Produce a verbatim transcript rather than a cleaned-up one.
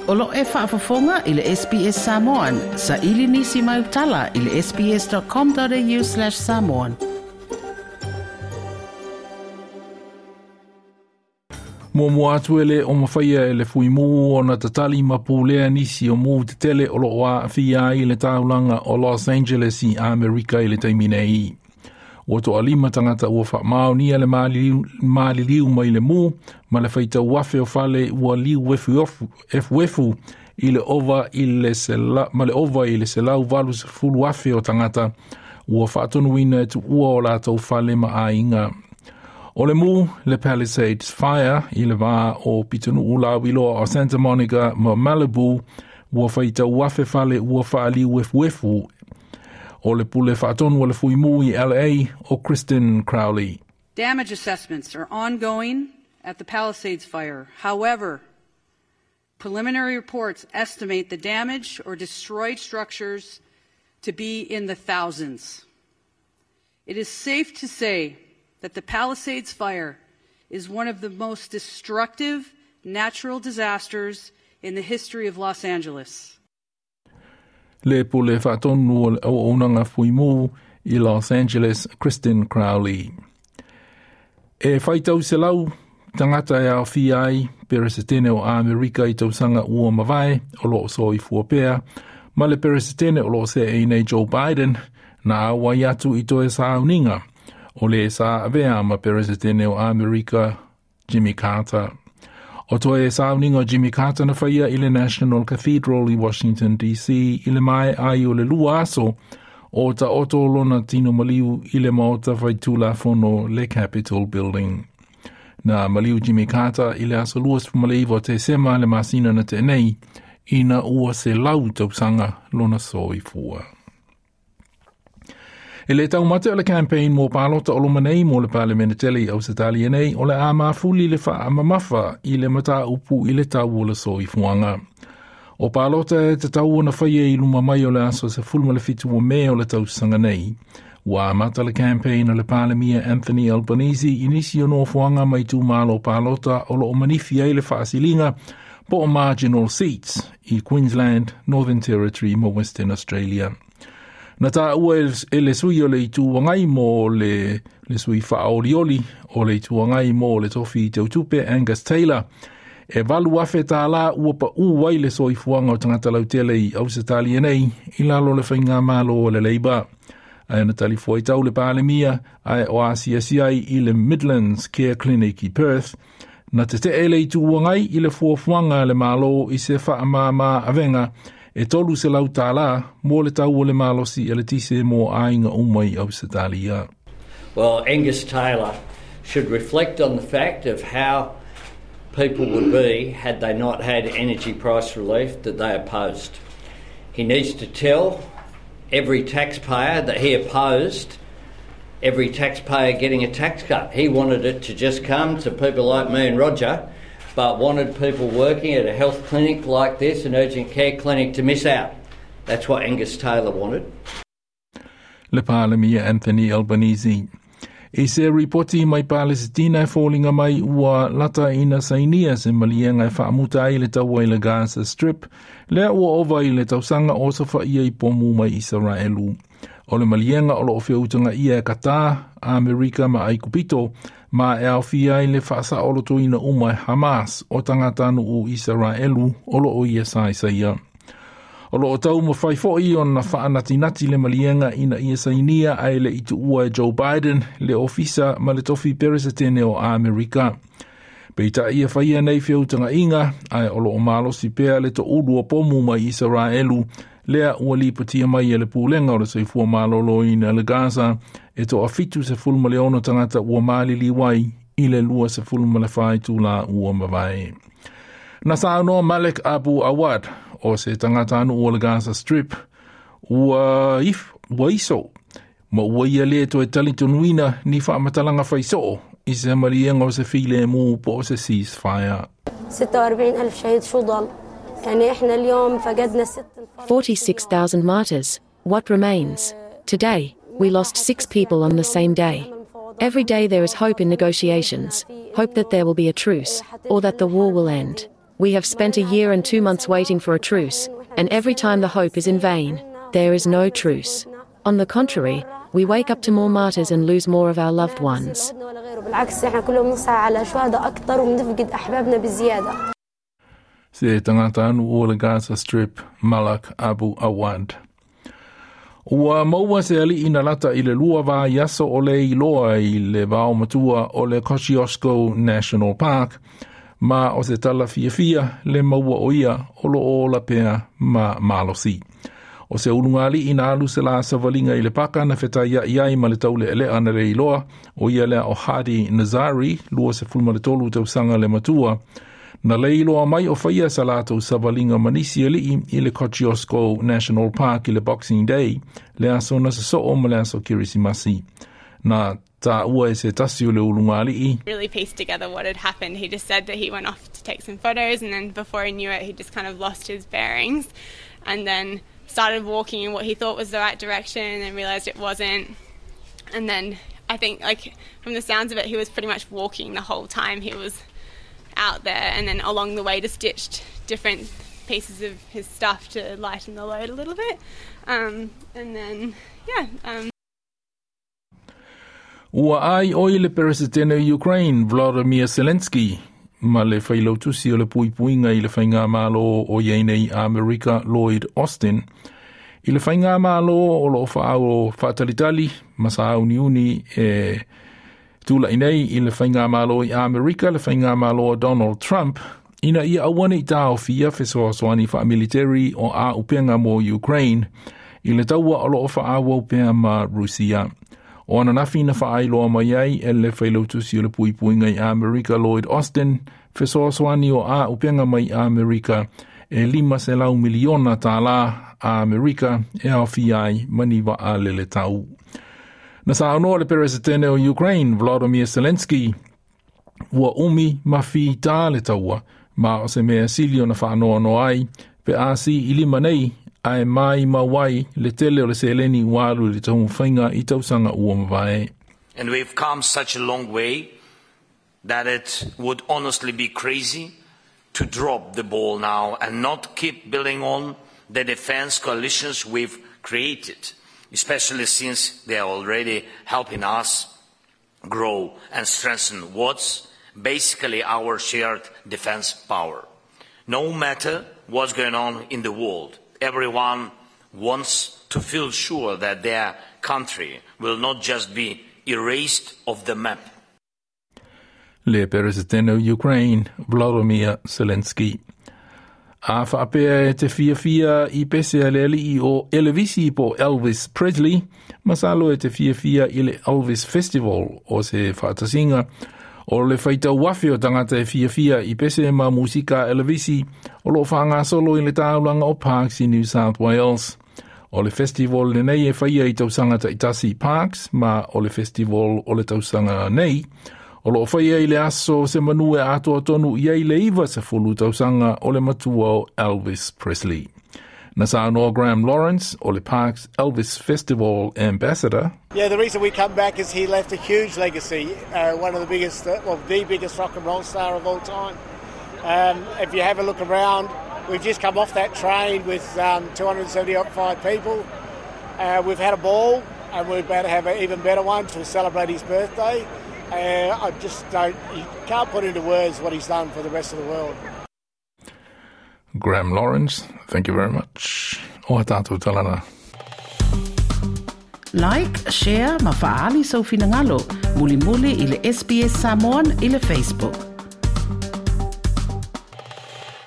O lo e faafofoga i le S B S Samoan, sa ili nisi mai utala i le S B S dot com dot A U slash samoan. Muamua atu e le o mafaia e le fuimu o na tatali ma pulea nisi o mu tetele o loo aafia ai le taulaga o Los Angeles i Amerika i le taimi nei. Ua toalima tagata ua faamaonia le maliliu, maliliu mai le mu ma le faitau afe o fale ua liu efuefu i le ova i le sela, ma le ova i le selau valu sefulu afe o tagata ua faatonuina e tuua o latou fale ma aiga. O le mu le Palisades Fire i le vā o pitonuu lauiloa o Santa Monica ma Malibu ua faitau afe fale ua faaliu efuefu. O le pule faatonu o le fuimu i L A o Kristen Crowley. Damage assessments are ongoing at the Palisades Fire. However, preliminary reports estimate the damage or destroyed structures to be in the thousands. It is safe to say that the Palisades Fire is one of the most destructive natural disasters in the history of Los Angeles. Le pule faatonu o le auaunaga fuimu i Los Angeles, Kristen Crowley. E faitau selau tagata e aofia ai peresetene o Amerika i tausaga ua mavae o loo soifua pea ma le peresetene o loo seʻe nei Joe Biden na auai atu i toe sauniga o le sa avea ma peresetene o Amerika Jimmy Carter. O toe sauniga o Jimmy Carter na faia i le National Cathedral i Washington D C i le mae ai o le lua aso o ta oto lona tino maliu i le maota faitulafono le Capitol Building. Na maliu Jimmy Carter i le aso lua o Tesema le masina na te nei ina ua selau tausaga lona soifua. E le taumate o le campaign mo palota o loma nei mo le Palemene tele i Ausetalia nei o le a mafuli le whaamamafa i le mata upu i le tau o le soifuaga. O palota e te tau ona whaia i luma mai o le aso sefulu ma le fitu o Me o le tausaga nei. Ua amata le campaign o le Palemia Anthony Albanese i nisi o nofoaga mai itumalo palota o loo manifi ai le faasiliga po o marginal seats i Queensland, Northern Territory ma Western Australia. Na tā ua e le sui o le itu angai mo le, le sui whaolioli o le itu angai mo le tofi tautupe Angus Taylor. E valu afe tālā ua pa u ai le soifuaga o tagata lautele i Ausetalia nei i lalo le faigamalo o le Labour. Ae na talifuaitau le Palemia ae o asiasi ai i le Midlands Care Clinic i Perth. Na te te ele i tuangai i le fuafuaga le malo i se whaamama avenga e tolu selau tālā mo le tau o le malosi eletise mo aiga uma i Ausetalia. Well, Angus Taylor should reflect on the fact of how people would be had they not had energy price relief that they opposed. He needs to tell every taxpayer that he opposed every taxpayer getting a tax cut. He wanted it to just come to people like me and Roger, but wanted people working at a health clinic like this, an urgent care clinic, to miss out. That's what Angus Taylor wanted. Le Palemia Anthony Albanese. I se ripoti mai Palesitina e foliga mai ua lata ina sainia se maliega e faamuta ai le taua i le Gaza Strip, lea ua ova i le tausaga o sofaia i pomu mai Isaraelu. O le maliega o loo feutanga ia e Qatar, Amerika ma Aikupito, ma e aofia ai le faasaolotoina uma e Hamas o tagatanuu Isaraelu o loo ia saisaia. O loo taumafai foi ona faanatinati le maliega ina ia sainia ae le i tuua e Joe Biden le ofisa ma le tofi peresetene o Amerika. Peitai ia faia nei feutagaiga ae o loo malosi pea le toulu o pomu mai Isaraelu lea ua lipotia mai e le pulega o le soifua maloloina le Gaza e toafitu sefulu ma le ono tagata ua maliliu ai i le lua sefulu ma le fa itulā ua mavae. Na saunoa Malek Abu Awad o se tagatanuu o le Gaza Strip ua, if, ua iso ma ua ia le toe talitonuina ni faamatalaga faisoo i se maliega o se filemu po o se ceasefire. ستة وأربعين ألف شهيد شو ضل؟ يعني إحنا اليوم فقدنا ست forty-six thousand martyrs. What remains? Today, we lost six people on the same day. Every day there is hope in negotiations, hope that there will be a truce, or that the war will end. We have spent a year and two months waiting for a truce, and every time the hope is in vain. There is no truce. On the contrary, we wake up to more martyrs and lose more of our loved ones. بالعكس احنا كل يوم نصحى على شهداء اكثر وبنفقد احبابنا بزياده. Se tagata o le Gaza Strip Malak Abu Awad. Ua maua se ali'i na lata i le lua vaiaso o le iloa i le vao matua o le Kosciuszko National Park, ma o se tala fiafia le maua o ia o lo o ola pea ma malosi. O se ulugalii na alu se la savalinga i le paka na fetaia i ai ma le taule'ele'a na le iloa o ia lea o Hadi Nazari, lua sefulu ma le tolu tausaga le matua, na le iloa mai o faia sa latou savaliga ma nisi ali'i i le Kosciuszko National Park i le Boxing Day, le aso na sosoo ma le aso Kerisimasi. Na taua e se tasi o le ulugalii. Really pieced together what had happened. He just said that he went off to take some photos, and then before he knew it, he just kind of lost his bearings and then started walking in what he thought was the right direction and then realised it wasn't. And then I think, like, from the sounds of it, he was pretty much walking the whole time he was out there, and then along the way just ditched different pieces of his stuff to lighten the load a little bit. Um, and then, yeah. Um, Ua ai oi le Peresetene o Ukraine, Volodymyr Zelensky, ma le failautusi o le puipuiga i le faigamalo o i ai nei Amerika Lloyd Austin, i le faigamalo o loo faaau faatalitali ma sauniuni e tula'i nei i le faigamalo i Amerika le faigamalo a Donald Trump, ina ia aua nei taofia fesoasoani faamiliteri o auupega mo Ukraine i le taua o loo faaauau pea ma Rusia. O ananafi na faailoa mai ai e le failautusi o le puipuiga i Amerika Lloyd Austin, fesoasoani o auupega mai Amerika e lima selau miliona tālā Amerika e aofia ai ma ni vaa leletau. Na saunoa le Peresetene o Ukraine, Volodymyr Zelensky, ua umi ma fitā le taua, ma o se mea sili ona faanoanoa ai, pe a si i lima nei, ae mai mau ai le tele o le seleni ua alu i le taumafaiga i tausaga ua mavae. And we've come such a long way that it would honestly be crazy to drop the ball now and not keep building on the defense coalitions we've created, especially since they are already helping us grow and strengthen what's basically our shared defense power. No matter what's going on in the world, everyone wants to feel sure that their country will not just be erased off the map. Le Peresetene o Ukraine, Volodymyr Zelensky. A faapea e te fiafia i pese a le ali'i o Elevisi po Elvis Presley, masalo e te fiafia i le Elvis Festival o se faatasiga o le faitau afe o tagata e fiafia i pese ma musika Elevisi o loo faagasolo i le taulaga o Parkes i New South Wales. O le festival lenei e faia i tausaga taitasi Parkes, ma o le festival o le tausaga nei, o loo faia i le aso se manu e atoa tonu i ai le iva sefulu tausaga o le matua o Elvis Presley. Na saunoa Graham Lawrence o le Parkes Elvis Festival Ambassador. Yeah, the reason we come back is he left a huge legacy, uh, one of the biggest, uh, well, the biggest rock and roll star of all time. Um, if you have a look around, we've just come off that train with um, two hundred seventy-five people. Uh, we've had a ball, and we're about to have an even better one to celebrate his birthday. Uh, I just don't, you can't put into words what he's done for the rest of the world. Graham Lawrence, thank you very much. O a tātou talana. Like, share, ma faali sau finagalo. Mulimuli i le S B S Samoan i le Facebook.